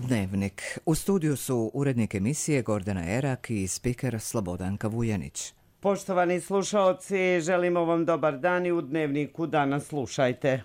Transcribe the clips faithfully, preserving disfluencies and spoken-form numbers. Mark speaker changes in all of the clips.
Speaker 1: Dnevnik. U studiju su urednik emisije Gordana Erak i spiker Slobodanka Vujanić.
Speaker 2: Poštovani slušaoci, želimo vam dobar dan i u Dnevniku danas slušajte.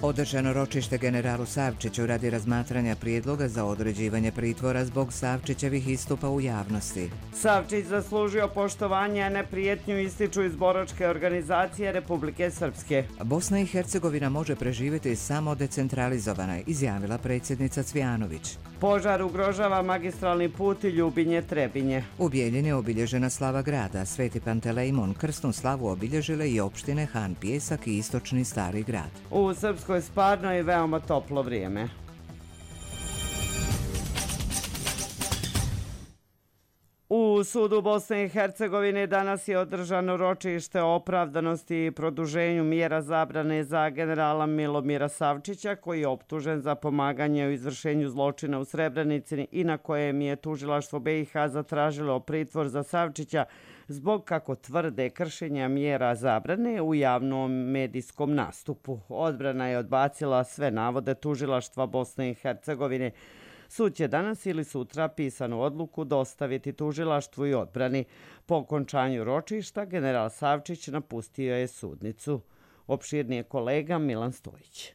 Speaker 1: Održano ročište generalu Savčiću radi razmatranja prijedloga za određivanje pritvora zbog Savčićevih istupa u javnosti.
Speaker 2: Savčić zaslužio poštovanje, a ne prijetnju, ističu iz boračke organizacije Republike Srpske.
Speaker 1: Bosna i Hercegovina može preživjeti samo decentralizovana, izjavila predsjednica Cvijanović.
Speaker 2: Požar ugrožava magistralni put Ljubinje-Trebinje.
Speaker 1: U Bijeljini je obilježena slava grada. Sveti Pantelejmon krsnu slavu obilježile i opštine Han Pijesak i istočni Stari grad.
Speaker 2: U Srpskoj Sparno je veoma toplo vrijeme. U sudu Bosne i Hercegovine danas je održano ročište o opravdanosti i produženju mjera zabrane za generala Milomira Savčića, koji je optužen za pomaganje u izvršenju zločina u Srebrenici i na kojem je tužilaštvo B i H zatražilo pritvor za Savčića zbog, kako tvrde, kršenja mjera zabrane u javnom medijskom nastupu. Odbrana je odbacila sve navode tužilaštva Bosne i Hercegovine. Sud će danas ili sutra pisanu odluku dostaviti tužilaštvu i odbrani. Po okončanju ročišta general Savčić napustio je sudnicu. Opširnije kolega Milan Stojić.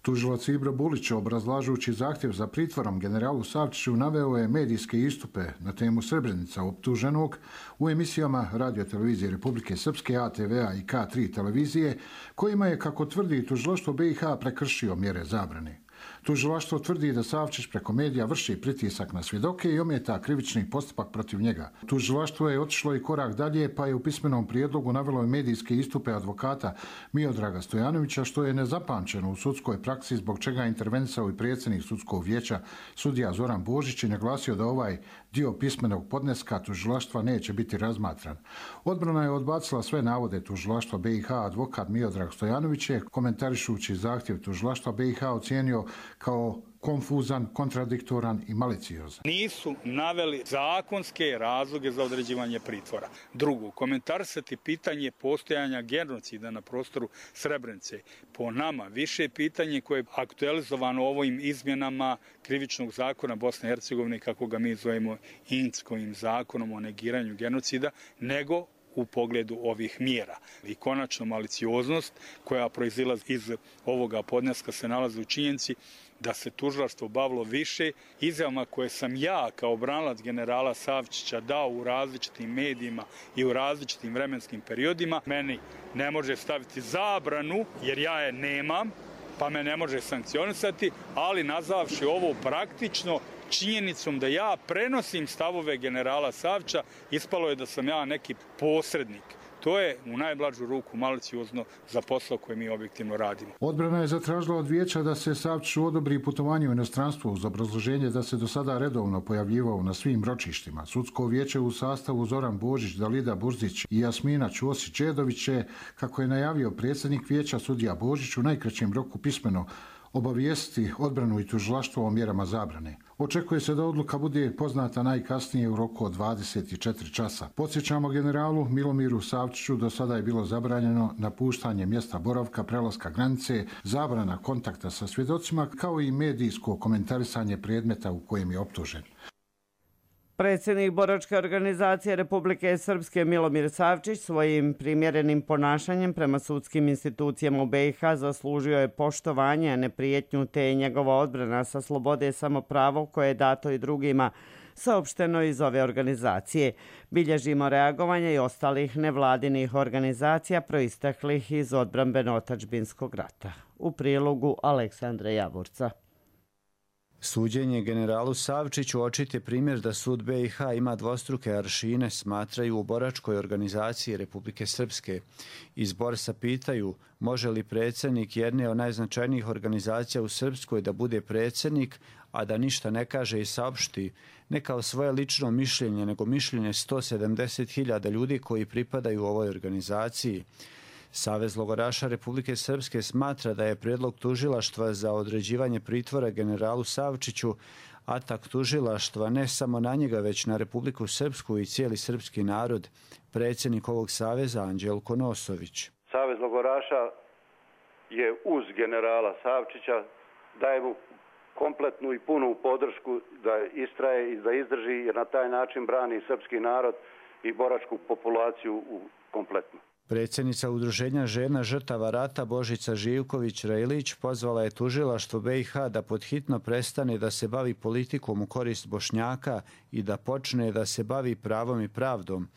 Speaker 3: Tužilac Ibra Bulić, obrazlažući zahtjev za pritvorom generalu Savčiću, naveo je medijske istupe na temu Srebrenica optuženog u emisijama Radio televizije Republike Srpske, A T V-a i K tri televizije, kojima je, kako tvrdi tužilaštvo B i H, prekršio mjere zabrane. Tužilaštvo tvrdi da Savčić preko medija vrši pritisak na svjedoke i ometa krivični postupak protiv njega. Tužilaštvo je otišlo i korak dalje, pa je u pismenom prijedlogu navelo medijske istupe advokata Miodraga Stojanovića, što je nezapamćeno u sudskoj praksi, zbog čega je intervenisao i predsjednik sudskog vijeća sudija Zoran Božić i naglasio da ovaj dio pismenog podneska tužilaštva neće biti razmatran. Odbrana je odbacila sve navode tužilaštva B i H. Advokat Miodrag Stojanović je, komentarišući zahtjev tužilaštva B i H, ocijenio kao konfuzan, kontradiktoran i maliciozan.
Speaker 4: Nisu naveli zakonske razloge za određivanje pritvora. Drugo, komentarisati pitanje postojanja genocida na prostoru Srebrenice. Po nama više pitanje koje je aktualizovano ovim izmjenama krivičnog zakona Bosne i Hercegovine, kako ga mi zovemo Inckovim zakonom o negiranju genocida, nego u pogledu ovih mjera. I konačno malicioznost koja proizilazi iz ovoga podneska se nalazi u činjenici da se tužilaštvo bavilo više izjavama koje sam ja kao branilac generala Savčića dao u različitim medijima i u različitim vremenskim periodima. Meni ne može staviti zabranu jer ja je nemam, pa me ne može sankcionisati, ali nazvavši ovo praktično činjenicom da ja prenosim stavove generala Savčića, ispalo je da sam ja neki posrednik. To je u najblažu ruku maliciozno za posao koje mi objektivno radimo.
Speaker 3: Odbrana je zatražila od vijeća da se Savčiću odobri putovanje u inostranstvo uz obrazloženje da se do sada redovno pojavljivao na svim ročištima. Sudsko vijeće u sastavu Zoran Božić, Dalida Burzić i Jasmina Ćosić-Đedović je, kako je najavio predsjednik vijeća sudija Božić, u najkraćem roku pismeno obavijestiti odbranu i tužilaštvo o mjerama zabrane. Očekuje se da odluka bude poznata najkasnije u roku od dvadeset četiri časa. Podsjećamo, generalu Milomiru Savčiću do sada je bilo zabranjeno napuštanje mjesta boravka, prelaska granice, zabrana kontakta sa svjedocima, kao i medijsko komentarisanje predmeta u kojem je optužen.
Speaker 2: Predsjednik boračke organizacije Republike Srpske Milomir Savčić svojim primjerenim ponašanjem prema sudskim institucijama u B i H zaslužio je poštovanje, a ne prijetnju, te je njegova odbrana sa slobode samo pravo koje je dato i drugima, saopšteno iz ove organizacije. Bilježimo reagovanje i ostalih nevladinih organizacija proisteklih iz odbrambeno-otadžbinskog rata. U prilogu Aleksandra Javorca.
Speaker 5: Suđenje generalu Savčiću očit je primjer da sud B i H ima dvostruke aršine, smatraju u boračkoj organizaciji Republike Srpske. Iz Borsa pitaju može li predsjednik jedne od najznačajnijih organizacija u Srpskoj da bude predsjednik, a da ništa ne kaže i saopšti, ne kao svoje lično mišljenje, nego mišljenje sto sedamdeset hiljada ljudi koji pripadaju ovoj organizaciji. Savez logoraša Republike Srpske smatra da je prijedlog tužilaštva za određivanje pritvora generalu Savčiću atak tužilaštva ne samo na njega, već na Republiku Srpsku i cijeli srpski narod. Predsjednik ovog saveza Anđelko Nosović.
Speaker 6: Savez logoraša je uz generala Savčića, daje mu kompletnu i punu podršku da istraje i da izdrži, jer na taj način brani srpski narod i boračku populaciju u kompletno.
Speaker 5: Predsjednica Udruženja žena žrtava rata Božica Živković-Rejlić pozvala je tužilaštvo B i H da podhitno prestane da se bavi politikom u korist Bošnjaka i da počne da se bavi pravom i pravdom.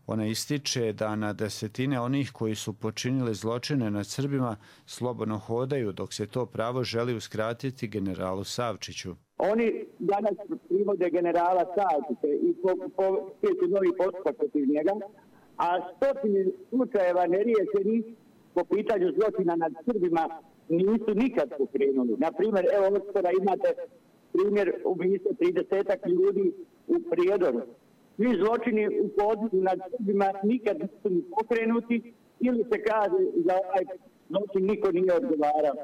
Speaker 5: Ona ističe da na desetine onih koji su počinili zločine nad Srbima slobodno hodaju, dok se to pravo želi uskratiti generalu Savčiću.
Speaker 7: Oni danas privode generala Savčića i pokreću novi postupak protiv njega, a stotine slučajeva neriješenih po pitanju zločina nad Srbima nisu nikad pokrenuli. Naprimjer, evo ovdje imate primjer ubistva tridesetak ljudi u Prijedoru. Svi zločini u području nad Srbima nikad nisu pokrenuti ili se kaže za ovaj zločin niko nije odgovarao.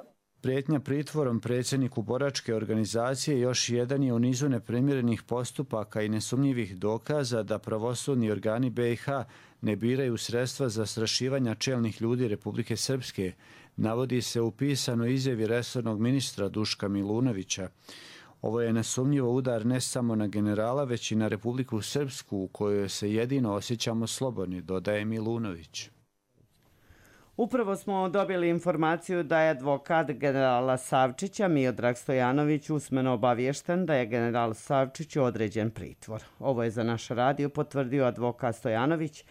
Speaker 5: Prijetnja pritvorom predsjedniku boračke organizacije još jedan je u nizu neprimjerenih postupaka i nesumnjivih dokaza da pravosudni organi B i H ne biraju sredstva za zastrašivanja čelnih ljudi Republike Srpske, navodi se u pisanoj izjavi resornog ministra Duška Milunovića. Ovo je nesumnjivo udar ne samo na generala, već i na Republiku Srpsku, u kojoj se jedino osjećamo slobodni, dodaje Milunović.
Speaker 2: Upravo smo dobili informaciju da je advokat generala Savčića Miodrag Stojanović usmeno obaviješten da je general Savčić određen pritvor. Ovo je za naš radio potvrdio advokat Stojanović,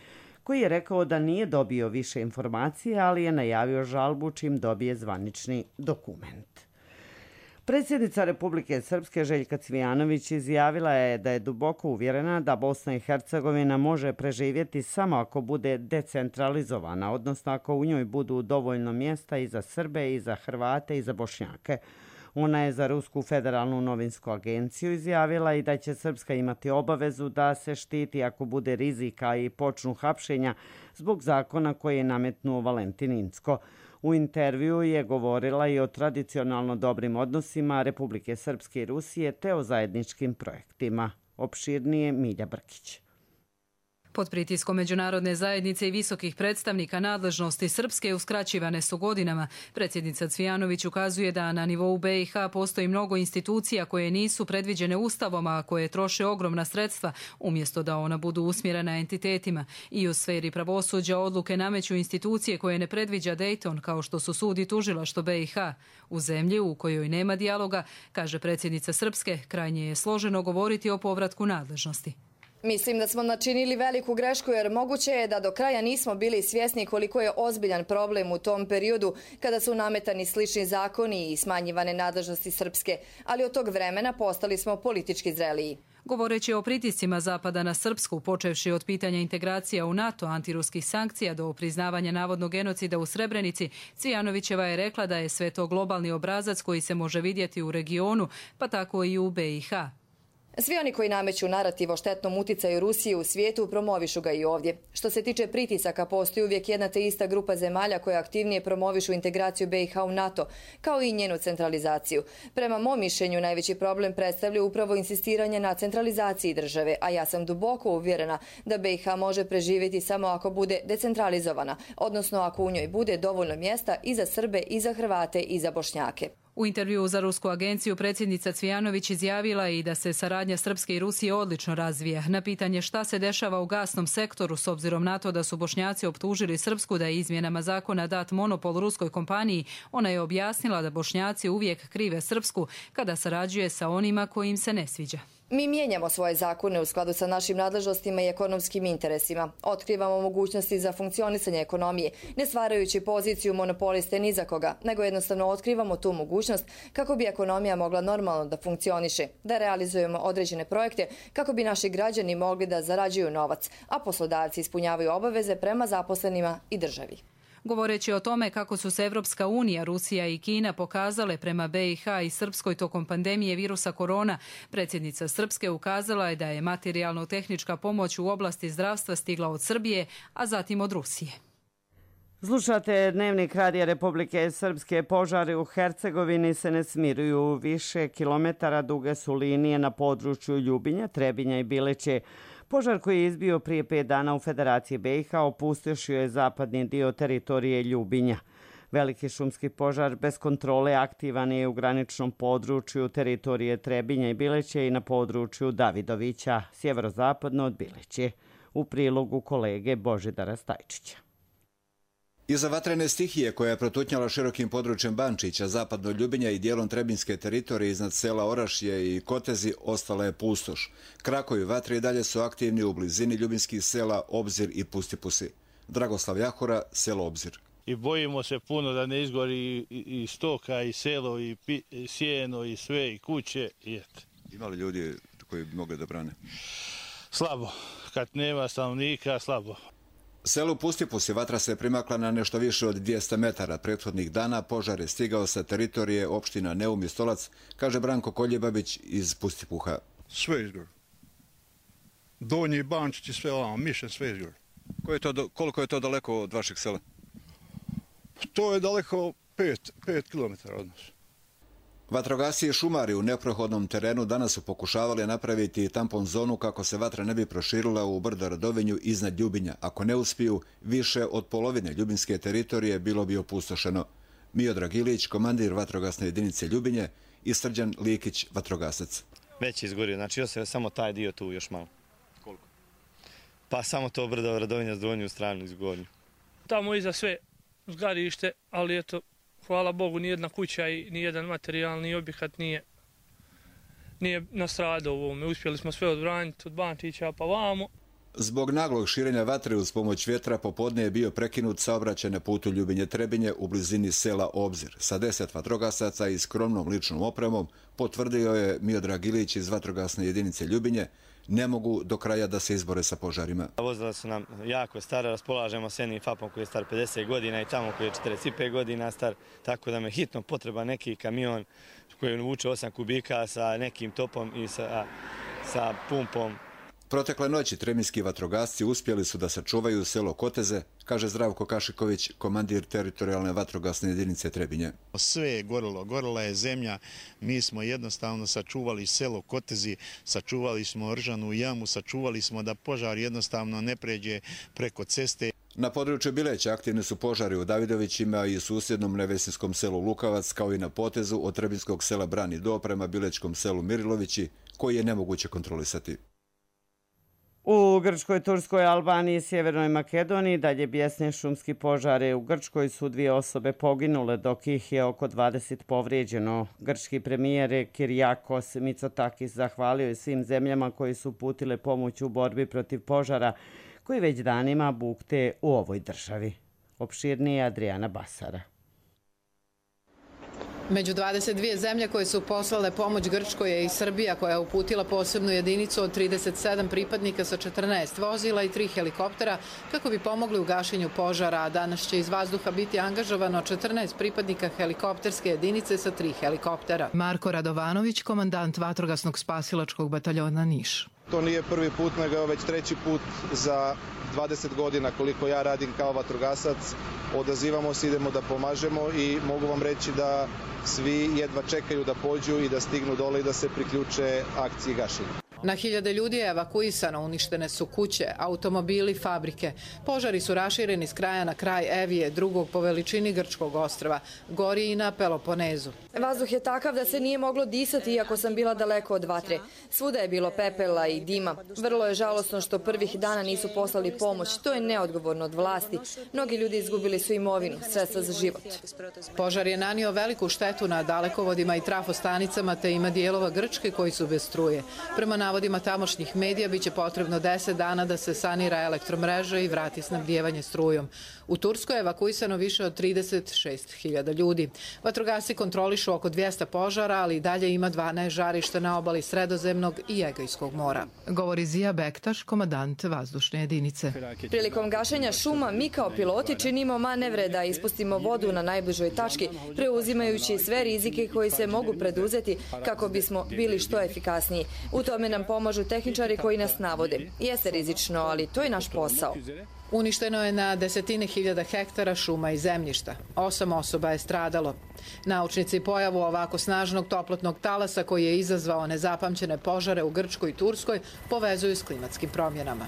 Speaker 2: koji je rekao da nije dobio više informacije, ali je najavio žalbu čim dobije zvanični dokument. Predsjednica Republike Srpske Željka Cvijanović izjavila je da je duboko uvjerena da Bosna i Hercegovina može preživjeti samo ako bude decentralizovana, odnosno ako u njoj budu dovoljno mjesta i za Srbe, i za Hrvate, i za Bošnjake. Ona je za Rusku federalnu novinsku agenciju izjavila i da će Srpska imati obavezu da se štiti ako bude rizika i počnu hapšenja zbog zakona koji je nametnuo Valentin Incko. U intervju je govorila i o tradicionalno dobrim odnosima Republike Srpske i Rusije te o zajedničkim projektima. Opširnije Milja Brkić.
Speaker 8: Pod pritiskom međunarodne zajednice i visokih predstavnika nadležnosti Srpske uskraćivane su godinama. Predsjednica Cvijanović ukazuje da na nivou B i H postoji mnogo institucija koje nisu predviđene ustavom, a koje troše ogromna sredstva, umjesto da ona budu usmjerena entitetima. I u sferi pravosuđa odluke nameću institucije koje ne predviđa Dayton, kao što su sud i tužilaštvo B i H. U zemlji u kojoj nema dijaloga, kaže predsjednica Srpske, krajnje je složeno govoriti o povratku nadležnosti.
Speaker 9: Mislim da smo načinili veliku grešku jer moguće je da do kraja nismo bili svjesni koliko je ozbiljan problem u tom periodu kada su nametani slični zakoni i smanjivane nadležnosti Srpske, ali od tog vremena postali smo politički zreliji.
Speaker 8: Govoreći o pritiscima Zapada na Srpsku, počevši od pitanja integracija u NATO, antiruskih sankcija do priznavanja navodnog genocida u Srebrenici, Cvijanovićeva je rekla da je sve to globalni obrazac koji se može vidjeti u regionu, pa tako i u B i H.
Speaker 9: Svi oni koji nameću narativ o štetnom uticaju Rusije u svijetu promovišu ga i ovdje. Što se tiče pritisaka, postoji uvijek jedna te ista grupa zemalja koja aktivnije promovišu integraciju B i H u NATO, kao i njenu centralizaciju. Prema mom mišljenju, najveći problem predstavlja upravo insistiranje na centralizaciji države, a ja sam duboko uvjerena da B i H može preživjeti samo ako bude decentralizovana, odnosno ako u njoj bude dovoljno mjesta i za Srbe, i za Hrvate, i za Bošnjake.
Speaker 8: U intervjuu za Rusku agenciju predsjednica Cvijanović izjavila i da se saradnja Srpske i Rusije odlično razvija. Na pitanje šta se dešava u gasnom sektoru s obzirom na to da su Bošnjaci optužili Srpsku da je izmjenama zakona dat monopol ruskoj kompaniji, ona je objasnila da Bošnjaci uvijek krive Srpsku kada sarađuje sa onima koji im se ne sviđa.
Speaker 9: Mi mijenjamo svoje zakone u skladu sa našim nadležnostima i ekonomskim interesima. Otkrivamo mogućnosti za funkcionisanje ekonomije, ne stvarajući poziciju monopoliste ni za koga, nego jednostavno otkrivamo tu mogućnost kako bi ekonomija mogla normalno da funkcioniše, da realizujemo određene projekte kako bi naši građani mogli da zarađuju novac, a poslodavci ispunjavaju obaveze prema zaposlenima i državi.
Speaker 8: Govoreći o tome kako su se Evropska unija, Rusija i Kina pokazale prema B i H i Srpskoj tokom pandemije virusa korona, predsjednica Srpske ukazala je da je materijalno-tehnička pomoć u oblasti zdravstva stigla od Srbije, a zatim od Rusije.
Speaker 2: Slušate Dnevnik Radija Republike Srpske. Požari u Hercegovini se ne smiruju. Više kilometara duge su linije na području Ljubinja, Trebinja i Bileće. Požar koji je izbio prije pet dana u Federaciji B i H opustošio je zapadni dio teritorije Ljubinja. Veliki šumski požar bez kontrole aktivan je u graničnom području teritorije Trebinja i Bileće i na području Davidovića, sjeverozapadno od Bileće. U prilogu kolege Božidara Stajčića.
Speaker 10: Iza vatrene stihije koja je protutnjala širokim područjem Bančića, zapadno Ljubinja i dijelom Trebinjske teritorije iznad sela Orašje i Kotezi ostala je pustoš. Krakovi vatre i dalje su aktivni u blizini ljubinskih sela Obzir i Pustipusi. Dragoslav Jahora, selo Obzir.
Speaker 11: I bojimo se puno da ne izgori i stoka, i selo, i sjeno, i sve, i kuće.
Speaker 10: Ima li ljudi koji bi mogli da brane?
Speaker 11: Slabo. Kad nema stanovnika, slabo.
Speaker 10: Selu Pustipusi vatra se primakla na nešto više od dvjesto metara. Prethodnih dana požar je stigao sa teritorije opština Neum i Stolac, kaže Branko Koljebabić iz Pustipuha.
Speaker 12: Sve izgor. Donji Bančić i sve ovamo, Mišen, sve izgor.
Speaker 10: Koliko je to daleko od vašeg sela?
Speaker 12: To je daleko pet, pet kilometara od nas.
Speaker 10: Vatrogasci i šumari u neprohodnom terenu danas su pokušavali napraviti tampon zonu kako se vatra ne bi proširila u brdo Radovinju iznad Ljubinja. Ako ne uspiju, više od polovine ljubinske teritorije bilo bi opustošeno. Miodrag Ilić, komandir vatrogasne jedinice Ljubinje, i Srđan Likić, vatrogasac.
Speaker 13: Već je izgorio, znači još je samo taj dio tu još malo.
Speaker 10: Koliko?
Speaker 13: Pa samo to brdo Radovinja s donju stranu izgorio.
Speaker 14: Tamo iza sve zgarište, ali eto, hvala Bogu, nijedna kuća i nijedan materijalni objekat nije, nije nastradao u ovome. Uspjeli smo sve odbraniti od Bančića pa vamo.
Speaker 10: Zbog naglog širenja vatre uz pomoć vjetra popodne je bio prekinut saobraćaj na putu Ljubinje-Trebinje u blizini sela Obzir. Sa deset vatrogasaca i skromnom ličnom opremom, potvrdio je Miodrag Ilić iz vatrogasne jedinice Ljubinje, ne mogu do kraja da se izbore sa požarima.
Speaker 13: Vozila su nam jako stara, raspolažemo s jednim fapom koji je star pedeset godina i tamo koji je četrdeset pet godina star, tako da me hitno potreba neki kamion koji vuče osam kubika sa nekim topom i sa, sa pumpom.
Speaker 10: Protekle noći trebinjski vatrogasci uspjeli su da sačuvaju selo Koteze, kaže Zdravko Kašiković, komandir teritorijalne vatrogasne jedinice Trebinje.
Speaker 15: Sve je gorilo, gorila je zemlja, mi smo jednostavno sačuvali selo Kotezi, sačuvali smo Ržanu jamu, sačuvali smo da požar jednostavno ne pređe preko ceste.
Speaker 10: Na području Bileća aktivni su požari u Davidovićima i susjednom nevesinskom selu Lukavac, kao i na potezu od trebinjskog sela Brani do prema bilećkom selu Mirilovići, koji je nemoguće kontrolisati.
Speaker 2: U Grčkoj, Turskoj, Albaniji i Sjevernoj Makedoniji dalje bijesne šumski požare. U Grčkoj su dvije osobe poginule, dok ih je oko dvadeset povrijeđeno. Grčki premijer Kirijakos Mitsotakis zahvalio je svim zemljama koji su uputile pomoć u borbi protiv požara, koji već danima bukte u ovoj državi. Opširnije Adriana Basara.
Speaker 16: Među dvadeset dvije zemlje koje su poslale pomoć Grčkoj je i Srbija, koja je uputila posebnu jedinicu od trideset sedam pripadnika sa četrnaest vozila i tri helikoptera kako bi pomogli u gašenju požara, a danas će iz vazduha biti angažovano četrnaest pripadnika helikopterske jedinice sa tri helikoptera.
Speaker 8: Marko Radovanović, komandant vatrogasnog spasilačkog bataljona Niš.
Speaker 17: To nije prvi put, nego već treći put za dvadeset godina koliko ja radim kao vatrogasac. Odazivamo se, idemo da pomažemo i mogu vam reći da svi jedva čekaju da pođu i da stignu dole i da se priključe akciji gašenja.
Speaker 16: Na hiljade ljudi je evakuisano, uništene su kuće, automobili, fabrike. Požari su rašireni s kraja na kraj Evije, drugog po veličini grčkog ostrva. Gori i na Peloponezu.
Speaker 9: Vazduh je takav da se nije moglo disati iako sam bila daleko od vatre. Svuda je bilo pepela i dima. Vrlo je žalosno što prvih dana nisu poslali pomoć. To je neodgovorno od vlasti. Mnogi ljudi izgubili su imovinu, sredstva za život.
Speaker 16: Požar je nanio veliku štetu na dalekovodima i trafostanicama, te ima dijelova Grčke koji su bez struje. Prema navodima tamošnjih medija biće potrebno deset dana da se sanira elektromreža i vrati snabdijevanje strujom. U Turskoj je evakuisano više od trideset šest hiljada ljudi. Vatrogasci kontrolišu oko dvjesto požara, ali i dalje ima dvanaest žarišta na obali Sredozemnog i Egejskog mora.
Speaker 8: Govori Zija Bektaš, komandant vazdušne jedinice.
Speaker 9: Prilikom gašenja šuma mi kao piloti činimo manevre da ispustimo vodu na najbližoj tački, preuzimajući sve rizike koji se mogu preduzeti kako bismo bili što efikasniji. U tome nam pomažu tehničari koji nas navode. Jeste rizično, ali to je naš posao.
Speaker 16: Uništeno je na desetine hiljada hektara šuma i zemljišta. Osam osoba je stradalo. Naučnici pojavu ovako snažnog toplotnog talasa koji je izazvao nezapamćene požare u Grčkoj i Turskoj povezuju s klimatskim promjenama.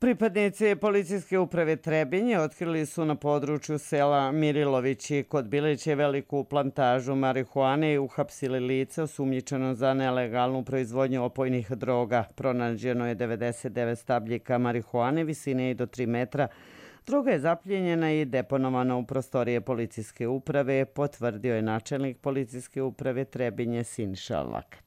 Speaker 2: Pripadnici policijske uprave Trebinje otkrili su na području sela Mirilovići kod Biliće veliku plantažu marihuane i uhapsili lice osumnjičeno za nelegalnu proizvodnju opojnih droga. Pronađeno je devedeset devet stabljika marihuane visine i do tri metra. Droga je zapljenjena i deponovana u prostorije policijske uprave, potvrdio je načelnik policijske uprave Trebinje Siniša Lakata.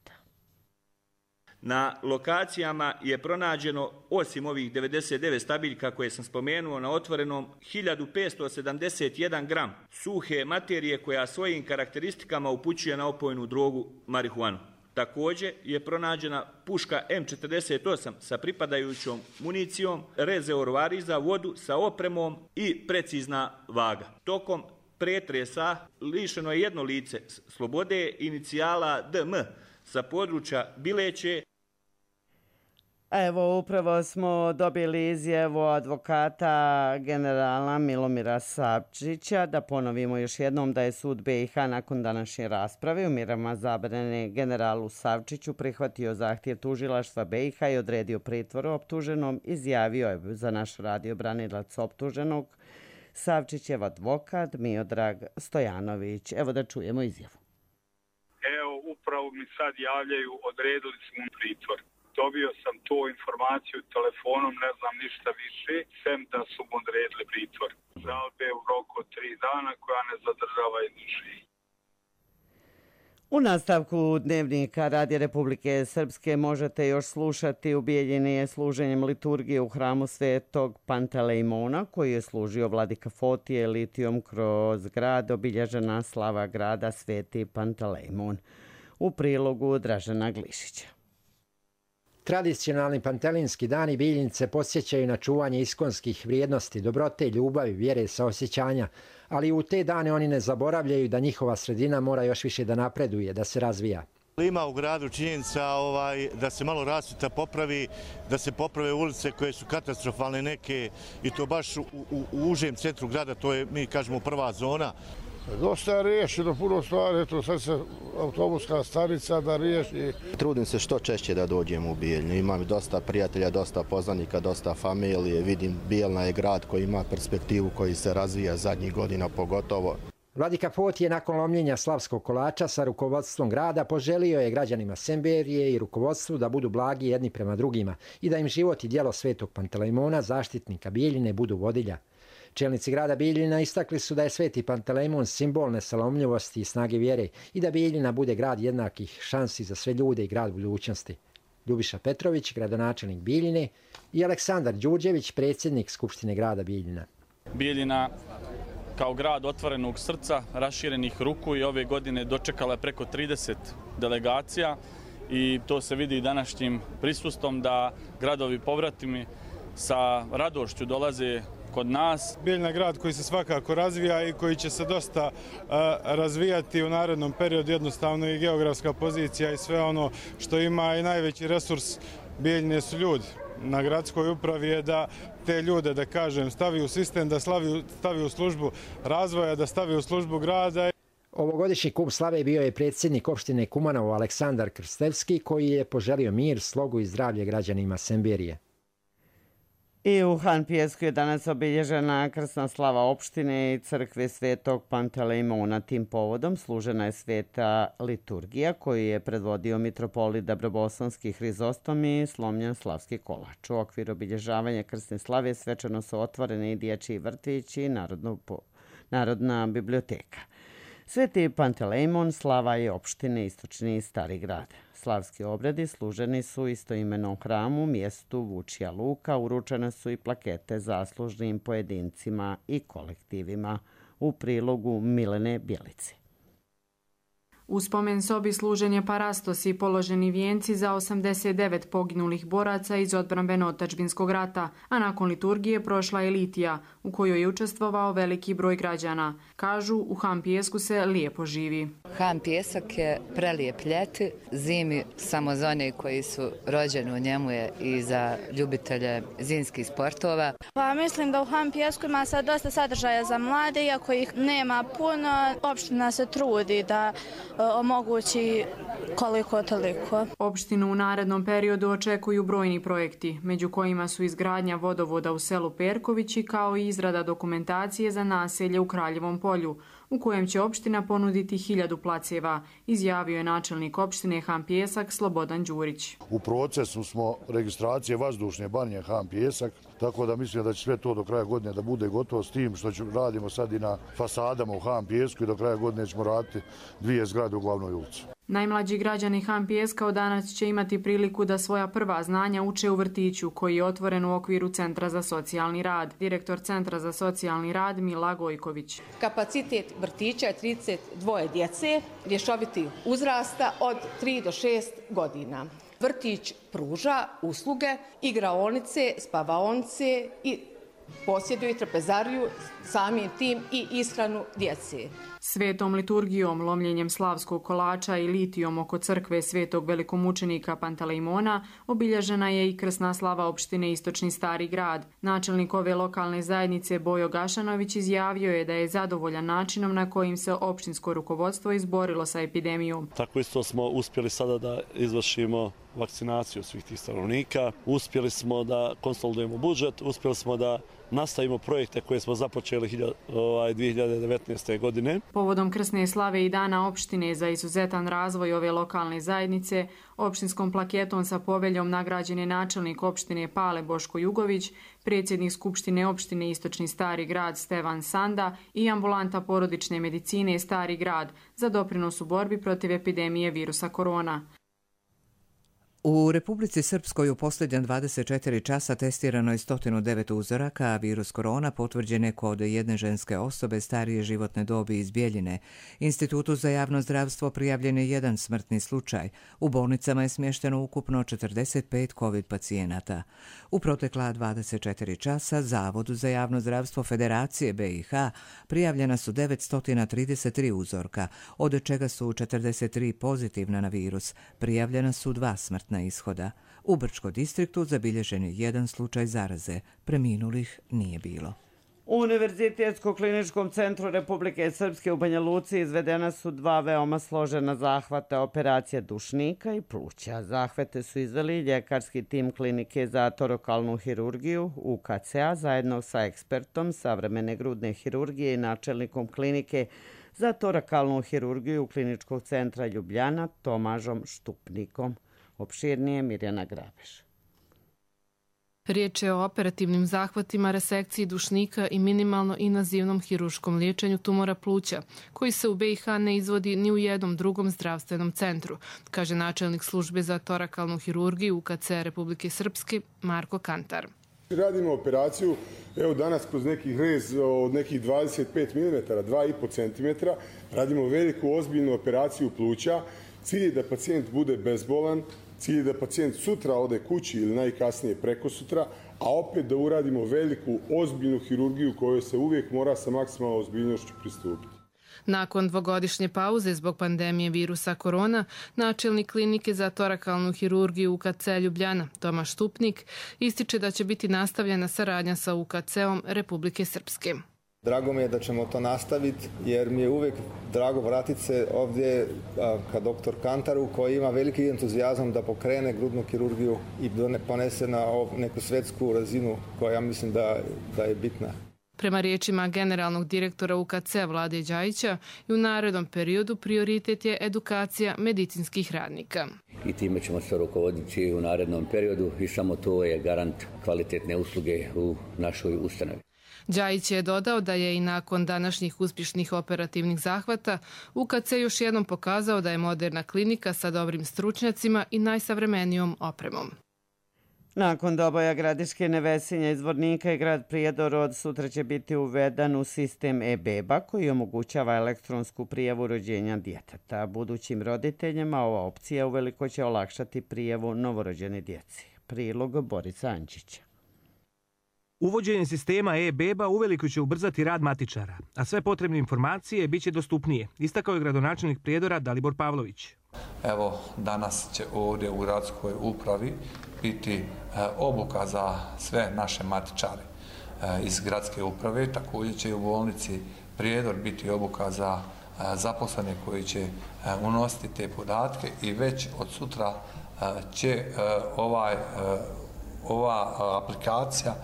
Speaker 18: Na lokacijama je pronađeno, osim ovih devedeset devet stabiljka koje sam spomenuo na otvorenom, hiljadu petsto sedamdeset jedan gram suhe materije koja svojim karakteristikama upućuje na opojnu drogu marihuanu. Također je pronađena puška M četrdeset osam sa pripadajućom municijom, rezervoari za vodu sa opremom i precizna vaga. Tokom pretresa lišeno je jedno lice slobode, inicijala D M sa područja Bileće.
Speaker 2: Evo, upravo smo dobili izjavu advokata generala Milomira Savčića. Da ponovimo još jednom da je sud B i H nakon današnje rasprave u mjerama zabrane generalu Savčiću prihvatio zahtjev tužilaštva B i H i odredio pritvor optuženom. Izjavio je za naš radio branilac optuženog Savčićev advokat Miodrag Stojanović. Evo da čujemo izjavu.
Speaker 4: Evo, upravo mi sad javljaju, odredili smo pritvor. Dobio sam tu informaciju telefonom, ne znam ništa više, sem da su mu odredili pritvor. Žalbe u roku od tri dana koja ne zadržava izvršenje.
Speaker 2: U nastavku dnevnika Radija Republike Srpske možete još slušati u Bijeljini služenjem liturgije u hramu Svetog Pantelejmona, koji je služio vladika Fotije litijom kroz grad, obilježena slava grada Sveti Pantelejmon. U prilogu Dražena Glišića.
Speaker 19: Tradicionalni pantelinski dani Bijeljnice podsjećaju na čuvanje iskonskih vrijednosti, dobrote, ljubavi, vjere, saosjećanja, ali u te dane oni ne zaboravljaju da njihova sredina mora još više da napreduje, da se razvija.
Speaker 20: Ima u gradu činjenica ovaj, da se malo rasvjeta popravi, da se poprave ulice koje su katastrofalne neke i to baš u, u, u užem centru grada, to je, mi kažemo, prva zona.
Speaker 21: Dosta je riješeno puno stvari, eto sad se autobuska stanica da riješi.
Speaker 22: Trudim se što češće da dođem u Bijeljnu. Imam dosta prijatelja, dosta poznanika, dosta familije. Vidim, Bijeljna je grad koji ima perspektivu, koji se razvija zadnjih godina pogotovo.
Speaker 19: Vladika Fotije nakon lomljenja slavskog kolača sa rukovodstvom grada poželio je građanima Semberije i rukovodstvu da budu blagi jedni prema drugima i da im život i djelo Svetog Pantelejmona, zaštitnika Bijeljine, budu vodilja. Čelnici grada Bijeljina istakli su da je Sveti Pantelejmon simbol nesalomljivosti i snage vjere i da Bijeljina bude grad jednakih šansi za sve ljude i grad budućnosti. Ljubiša Petrović, gradonačelnik Bijeljine, i Aleksandar Đurđević, predsjednik Skupštine grada Bijeljina.
Speaker 23: Bijeljina kao grad otvorenog srca, raširenih ruku i ove godine dočekala je preko trideset delegacija i to se vidi današnjim prisustvom da gradovi povratimi sa radošću dolaze kod nas.
Speaker 24: Bijeljina je grad koji se svakako razvija i koji će se dosta uh, razvijati u narednom periodu, jednostavno i geografska pozicija i sve ono što ima i najveći resurs Bijeljine su ljudi. Na gradskoj upravi je da te ljude, da kažem, stavi u sistem, da slavi, stavi u službu razvoja, da stavi u službu grada.
Speaker 19: Ovogodišnji kup slave bio je predsjednik opštine Kumanovo Aleksandar Krstevski, koji je poželio mir, slogu i zdravlje građanima Semberije.
Speaker 2: I u Han Pijesku je danas obilježena krsna slava opštine i crkve Svetog Pantelejmona. Tim povodom služena je sveta liturgija koju je predvodio mitropolit Dabrobosanski Hrizostom i slomljen slavski kolač. U okviru obilježavanja krsne slave svečano su otvorene i dječji vrtić i narodno, narodna biblioteka. Sveti Pantelejmon slava je opštine Istočni i Stari grad. Slavski obredi služeni su u istoimenom hramu, mjestu Vučija Luka, uručene su i plakete zaslužnim pojedincima i kolektivima. U prilogu Milene Bjelice.
Speaker 25: U spomen sobi služen je parastos i položeni vijenci za osamdeset devet poginulih boraca iz odbrambeno-otadžbinskog rata, a nakon liturgije prošla je litija, u kojoj je učestvovao veliki broj građana. Kažu, u Han Pijesku se lijepo živi.
Speaker 26: Han Pijesak je prelijep ljeti, zimi samo za one koji su rođeni u njemu je i za ljubitelje zimskih sportova.
Speaker 27: Pa mislim da u Han Pijesku ima sad dosta sadržaja za mlade, iako ih nema puno, opština se trudi da omogući koliko toliko.
Speaker 25: Opštinu u narednom periodu očekuju brojni projekti, među kojima su izgradnja vodovoda u selu Perkovići kao i izrada dokumentacije za naselje u Kraljevom polju, u kojem će opština ponuditi hiljadu placeva, izjavio je načelnik opštine Han Pjesak Slobodan Đurić.
Speaker 21: U procesu smo registracije vazdušne banje Han Pjesak, tako da mislim da će sve to do kraja godine da bude gotovo, s tim što radimo sad i na fasadama u Han Pjesku i do kraja godine ćemo raditi dvije zgrade u glavnoj ulici.
Speaker 25: Najmlađi građani Han Pjeska od danas će imati priliku da svoja prva znanja uče u vrtiću koji je otvoren u okviru Centra za socijalni rad. Direktor Centra za socijalni rad Mila Gojković.
Speaker 1: Kapacitet vrtića je trideset dvoje djece rješoviti uzrasta od tri do šest godina. Vrtić pruža usluge igraonice, spavaonice i posjeduje trapezariju, samim tim i ishranu djece.
Speaker 25: Svetom liturgijom, lomljenjem slavskog kolača i litijom oko crkve svetog velikomučenika Pantelejmona obilježena je i krsna slava opštine Istočni Stari grad. Načelnik ove lokalne zajednice Bojo Gašanović izjavio je da je zadovoljan načinom na kojim se opštinsko rukovodstvo izborilo sa epidemijom.
Speaker 3: Tako isto smo uspjeli sada da izvršimo vakcinaciju svih tih stanovnika, uspjeli smo da konsolidujemo budžet, uspjeli smo da nastavimo projekte koje smo započeli dvije hiljade devetnaeste. godine.
Speaker 25: Povodom krsne slave i dana opštine za izuzetan razvoj ove lokalne zajednice, opštinskom plaketom sa poveljom nagrađen je načelnik opštine Pale Boško Jugović, predsjednik Skupštine opštine Istočni Stari grad Stevan Sanda i ambulanta porodične medicine Stari grad za doprinos u borbi protiv epidemije virusa korona.
Speaker 5: U Republici Srpskoj u posljednja dvadeset četiri časa testirano je sto devet uzoraka, a virus korona potvrđen je kod jedne ženske osobe starije životne dobi iz Bjeljine. Institutu za javno zdravstvo prijavljen je jedan smrtni slučaj. U bolnicama je smješteno ukupno četrdeset pet covid pacijenata. U protekla dvadeset četiri časa Zavodu za javno zdravstvo Federacije B i H prijavljena su devetsto trideset tri uzorka, od čega su četrdeset tri pozitivna na virus. Prijavljena su dva smrtna ishoda. U Brčko distriktu zabilježen je jedan slučaj zaraze. Preminulih nije bilo.
Speaker 2: U Univerzitetsko-kliničkom centru Republike Srpske u Banja Luci izvedena su dva veoma složena zahvata, operacija dušnika i pluća. Zahvate su izveli ljekarski tim klinike za torakalnu hirurgiju U K C-a zajedno sa ekspertom savremene grudne hirurgije i načelnikom klinike za torakalnu hirurgiju Kliničkog centra Ljubljana Tomažom Štupnikom. Opširnije Mirjana Grabeš.
Speaker 6: Riječ je o operativnim zahvatima, resekciji dušnika i minimalno invazivnom hiruškom liječenju tumora pluća, koji se u B i H ne izvodi ni u jednom drugom zdravstvenom centru, kaže načelnik službe za torakalnu hirurgiju U K C Republike Srpske Marko Kantar.
Speaker 7: Radimo operaciju, evo danas kroz neki rez od nekih dvadeset pet milimetara, dva i po centimetra, radimo veliku ozbiljnu operaciju pluća. Cilj je da pacijent bude bezbolan, cilj je da pacijent sutra ode kući ili najkasnije preko sutra, a opet da uradimo veliku, ozbiljnu hirurgiju kojoj se uvijek mora sa maksimalnom ozbiljnošću pristupiti.
Speaker 6: Nakon dvogodišnje pauze zbog pandemije virusa korona, načelnik klinike za torakalnu hirurgiju U K C Ljubljana Tomaš Štupnik ističe da će biti nastavljena saradnja sa U K C-om Republike Srpske.
Speaker 11: Drago mi je da ćemo to nastaviti jer mi je uvijek drago vratiti se ovdje ka doktor Kantaru koji ima veliki entuzijazam da pokrene grudnu kirurgiju i ponese na neku svjetsku razinu koja ja mislim da, da je bitna.
Speaker 6: Prema riječima generalnog direktora U K C Vlade Đajića, i u narednom periodu prioritet je edukacija medicinskih radnika.
Speaker 12: I time ćemo se rukovoditi u narednom periodu i samo to je garant kvalitetne usluge u našoj ustanovi.
Speaker 6: Đajić je dodao da je i nakon današnjih uspješnih operativnih zahvata U K C još jednom pokazao da je moderna klinika sa dobrim stručnjacima i najsavremenijom opremom.
Speaker 2: Nakon doboja Gradiške, Nevesinja iz Zvornika i grad Prijedor od sutra će biti uveden u sistem e-beba koji omogućava elektronsku prijavu rođenja djeteta. Budućim roditeljima ova opcija uveliko će olakšati prijavu novorođene djece. Prilog Borisa Ančića.
Speaker 28: Uvođenje sistema e-beba uveliko će ubrzati rad matičara, a sve potrebne informacije bit će dostupnije, istakao je gradonačelnik Prijedora Dalibor Pavlović.
Speaker 29: Evo, danas će ovdje u gradskoj upravi biti obuka za sve naše matičare iz gradske uprave. Također će i u bolnici Prijedor biti obuka za zaposlene koji će unositi te podatke i već od sutra će ovaj, ova aplikacija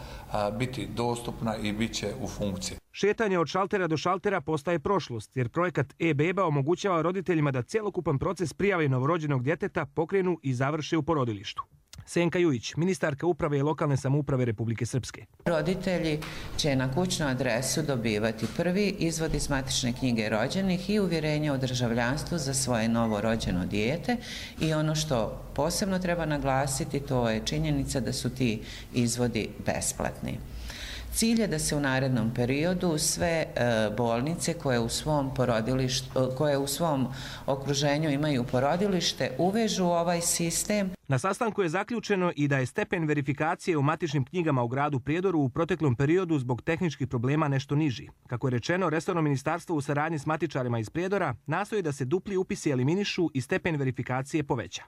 Speaker 29: biti dostupna i bit će u funkciji.
Speaker 28: Šetanje od šaltera do šaltera postaje prošlost, jer projekat e-beba omogućava roditeljima da cjelokupan proces prijave novorođenog djeteta pokrenu i završe u porodilištu. Senka Jujić, ministarka uprave i lokalne samouprave Republike Srpske.
Speaker 8: Roditelji će na kućnu adresu dobivati prvi izvod iz matične knjige rođenih i uvjerenje o državljanstvu za svoje novorođeno dijete i ono što posebno treba naglasiti to je činjenica da su ti izvodi besplatni. Cilj je da se u narednom periodu sve bolnice koje u svom porodilištu, koje u svom okruženju imaju porodilište uvežu u ovaj sistem.
Speaker 28: Na sastanku je zaključeno i da je stepen verifikacije u matičnim knjigama u gradu Prijedoru u proteklom periodu zbog tehničkih problema nešto niži. Kako je rečeno, resorno ministarstvo u saradnji s matičarima iz Prijedora nastoji da se dupli upisi eliminišu i stepen verifikacije poveća.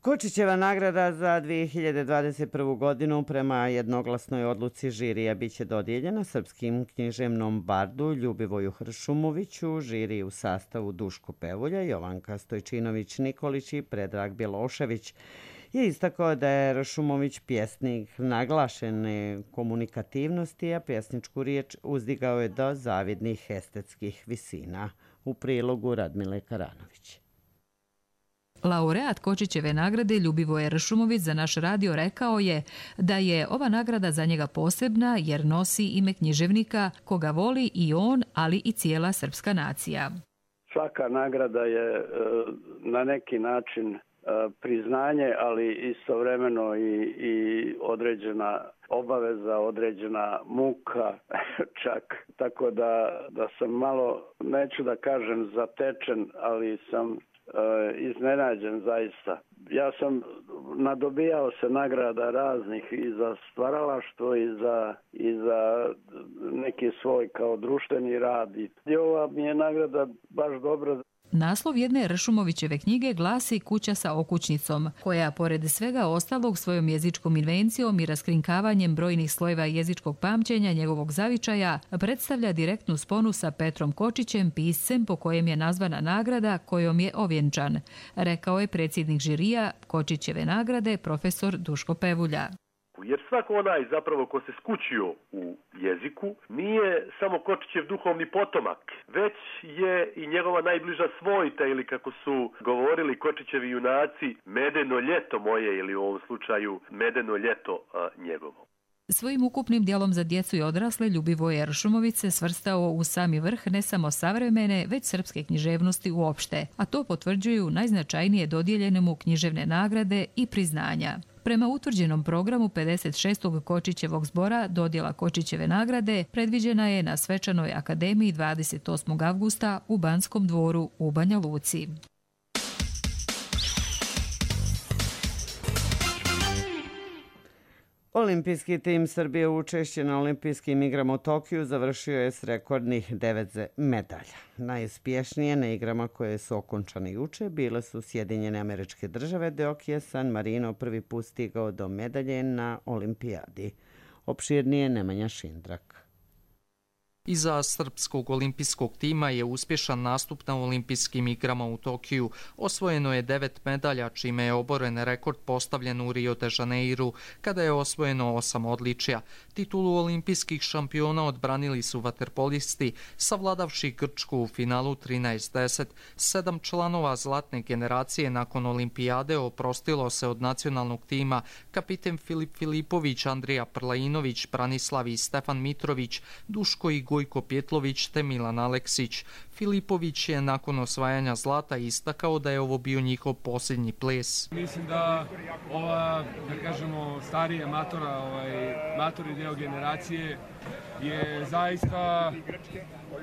Speaker 2: Kočićeva nagrada za dvije hiljade dvadeset prvu. godinu prema jednoglasnoj odluci žirija biće dodijeljena srpskim književnom bardu Ljubivoju Hršumoviću, žiri u sastavu Duško Pevulja, Jovanka Stojčinović-Nikolić i Predrag Bjelošević. Je istakao da je Hršumović pjesnik naglašene komunikativnosti, a pjesničku riječ uzdigao je do zavidnih estetskih visina. U prilogu Radmile Karanović.
Speaker 9: Laureat Kočićeve nagrade Ljubivoje Hršumović za naš radio rekao je da je ova nagrada za njega posebna jer nosi ime književnika koga voli i on, ali i cijela srpska nacija.
Speaker 10: Svaka nagrada je na neki način priznanje, ali istovremeno i, i određena obaveza, određena muka čak. Tako da, da sam malo, neću da kažem zatečen, ali sam iznenađen zaista. Ja sam nadobijao se nagrada raznih i za stvaralaštvo i za, i za neki svoj kao društveni rad. I ova mi je nagrada baš dobra.
Speaker 9: Naslov jedne Hršumovićeve knjige glasi Kuća sa okućnicom, koja pored svega ostalog svojom jezičkom invencijom i raskrinkavanjem brojnih slojeva jezičkog pamćenja njegovog zavičaja predstavlja direktnu sponu sa Petrom Kočićem, piscem po kojem je nazvana nagrada kojom je ovjenčan, rekao je predsjednik žirija Kočićeve nagrade profesor Duško Pevulja.
Speaker 13: Jer svako onaj zapravo ko se skućio u jeziku nije samo Kočićev duhovni potomak, već je i njegova najbliža svojta ili kako su govorili Kočićevi junaci medeno ljeto moje ili u ovom slučaju medeno ljeto a, njegovo.
Speaker 9: Svojim ukupnim dijelom za djecu i odrasle Ljubivoje Hršumović se svrstao u sami vrh ne samo savremene, već srpske književnosti uopšte, a to potvrđuju najznačajnije dodijeljene mu književne nagrade i priznanja. Prema utvrđenom programu pedeset šestog Kočićevog zbora dodjela Kočićeve nagrade predviđena je na Svečanoj akademiji dvadeset osmog avgusta u Banskom dvoru u Banja Luci.
Speaker 2: Olimpijski tim Srbije učešće na olimpijskim igrama u Tokiju završio je s rekordnih devet medalja. Najuspješnije na igrama koje su okončane juče bile su Sjedinjene Američke Države, dok je San Marino prvi put stigao do medalje na olimpijadi. Opširnije Nemanja Šindrak.
Speaker 14: Iza srpskog olimpijskog tima je uspješan nastup na olimpijskim igrama u Tokiju. Osvojeno je devet medalja, čime je oboren rekord postavljen u Rio de Janeiru, kada je osvojeno osam odličja. Titulu olimpijskih šampiona odbranili su vaterpolisti, savladavši Grčku u finalu trinaest deset. Sedam članova zlatne generacije nakon olimpijade oprostilo se od nacionalnog tima. Kapiten Filip Filipović, Andrija Prlainović, Branislav i Stefan Mitrović, Duško i Gojko Pjetlović te Milan Aleksić. Filipović je nakon osvajanja zlata istakao da je ovo bio njihov posljednji ples.
Speaker 15: Mislim da ova, da kažemo, starija matora, ovaj, matori deo generacije je zaista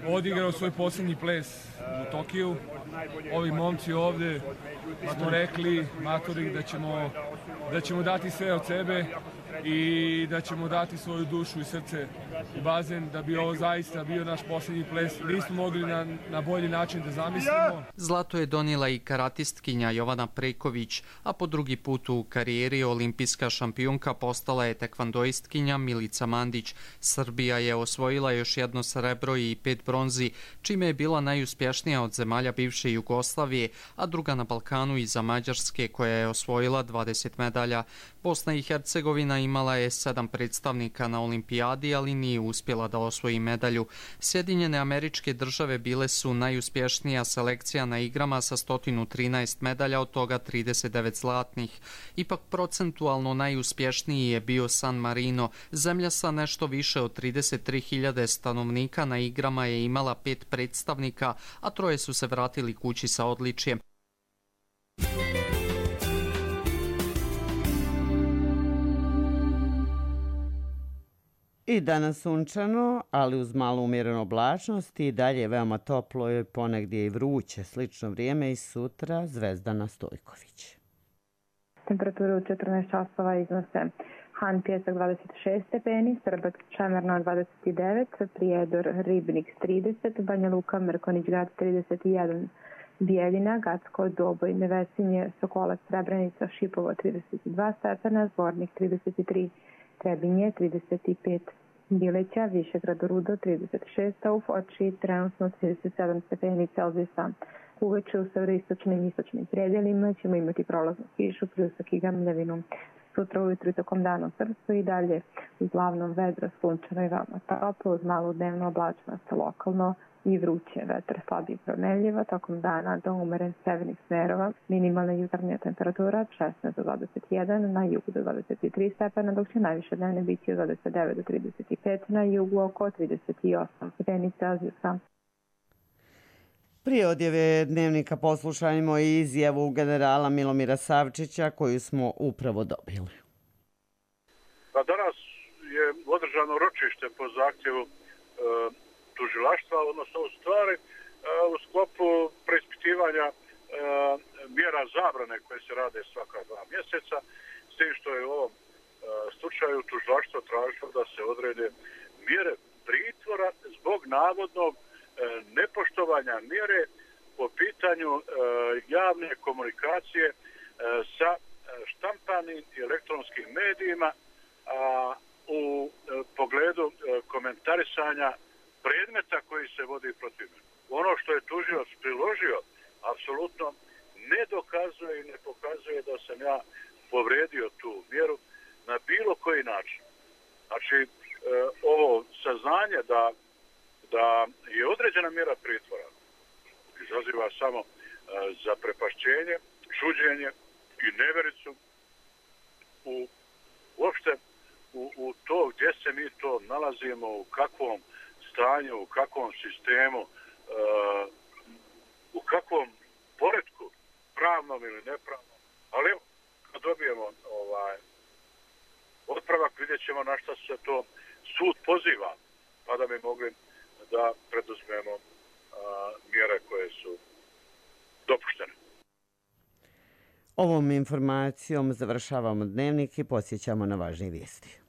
Speaker 15: odigrao svoj posljednji ples u Tokiju. Ovi momci ovde smo rekli matori da ćemo, da ćemo dati sve od sebe i da ćemo dati svoju dušu i srce i bazen, da bi ovo zaista bio naš posljednji ples. Nismo mogli na, na bolji način da zamislimo.
Speaker 14: Zlato je donijela i karatistkinja Jovana Preković, a po drugi put u karijeri olimpijska šampionka postala je tekvandoistkinja Milica Mandić. Srbija je osvojila još jedno srebro i pet bronzi, čime je bila najuspješnija od zemalja bivše Jugoslavije, a druga na Balkanu iza Mađarske koja je osvojila dvadeset medalja. Bosna i Hercegovina imala je sedam predstavnika na olimpijadi, ali nije uspjela da osvoji medalju. Sjedinjene Američke Države bile su najuspješnija selekcija na igrama sa sto trinaest medalja, od toga trideset devet zlatnih. Ipak procentualno najuspješniji je bio San Marino. Zemlja sa nešto više od trideset tri hiljade stanovnika na igrama je imala pet predstavnika, a troje su se vratili kući sa odličjem.
Speaker 2: I danas sunčano, ali uz malu umjerenu oblačnost i dalje veoma toplo i ponegdje i vruće. Slično vrijeme i sutra Zvezdana Stojković.
Speaker 4: Temperatura u četrnaest časova iznose Han Pjesak dvadeset šest stepeni, Srbac Čemerno dvadeset devet, Prijedor Ribnik trideset, Banja Luka Mrkonić Grad trideset jedan, Bijeljina, Gacko, Doboj, Nevesinje, Sokolac, Srebrenica, Šipovo trideset dva stepena, Zvornik trideset tri, Trebinje trideset pet, Bileća, Višegrad Rudo trideset šest, a u Foči trenutno trideset sedam stepeni Celzijusa. Uveče u severoistočnim i istočnim predjelima ćemo imati prolaznu kišu, pljusak i gamljevinu. Sutra ujutru i tokom dana u Srpsku i dalje uglavnom vedro, sunčano i veoma toplo, uz malu dnevnu oblačnost lokalno i vruće. Vetar slabiji promenljiva, tokom dana do umeren severnih smerova. Minimalna jutarnja temperatura šesnaest do dvadeset jedan, na jugu do dvadeset tri stepena, dok će najviše dnevne biti od dvadeset devet do trideset pet, na jugu oko trideset osam stepeni Celzijusa.
Speaker 2: Prije odjave dnevnika poslušajmo i izjavu generala Milomira Savčića koju smo upravo dobili.
Speaker 16: Pa danas je održano ročište po zahtjevu e, tužilaštva, odnosno u stvari e, u sklopu preispitivanja e, mjera zabrane koje se rade svaka dva mjeseca, s tim što je u ovom e, slučaju tužilaštvo tražilo da se odrede mjere pritvora zbog navodnog nepoštovanja mjere po pitanju e, javne komunikacije e, sa štampanim i elektronskim medijima a, u e, pogledu e, komentarisanja predmeta koji se vodi protiv mene. Ono što je tužilac priložio apsolutno ne dokazuje i ne pokazuje da sam ja povredio tu mjeru na bilo koji način. Znači, e, ovo saznanje da da je određena mjera pritvora izaziva samo e, zaprepašćenje, čuđenje i nevericu u uopšte u, u to gdje se mi to nalazimo, u kakvom stanju, u kakvom sistemu, e, u kakvom poretku, pravnom ili nepravnom. Ali evo, kad dobijemo ovaj otpravak, vidjet ćemo na šta se to sud poziva, pa da bi mogli da preduzmemo a, mjere koje su dopuštene.
Speaker 2: Ovom informacijom završavamo dnevnik i podsjećamo na važne vijesti.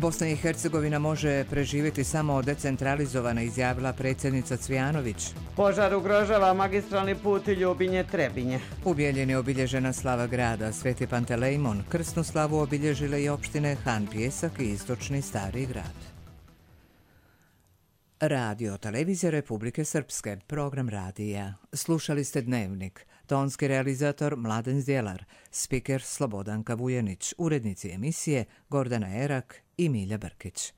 Speaker 5: Bosna i Hercegovina može preživjeti samo decentralizovana, izjavila predsjednica Cvijanović.
Speaker 2: Požar ugrožava magistralni put Ljubinje-Trebinje.
Speaker 5: U Bijeljini je obilježena slava grada Sveti Pantelejmon. Krsnu slavu obilježile i opštine Han Pjesak i istočni Stari grad. Radio Televizija Republike Srpske, program radija. Slušali ste Dnevnik. Tonski realizator Mladen Zdjelar, spiker Slobodanka Vujanić, urednici emisije Gordana Erak i Milja Brkić.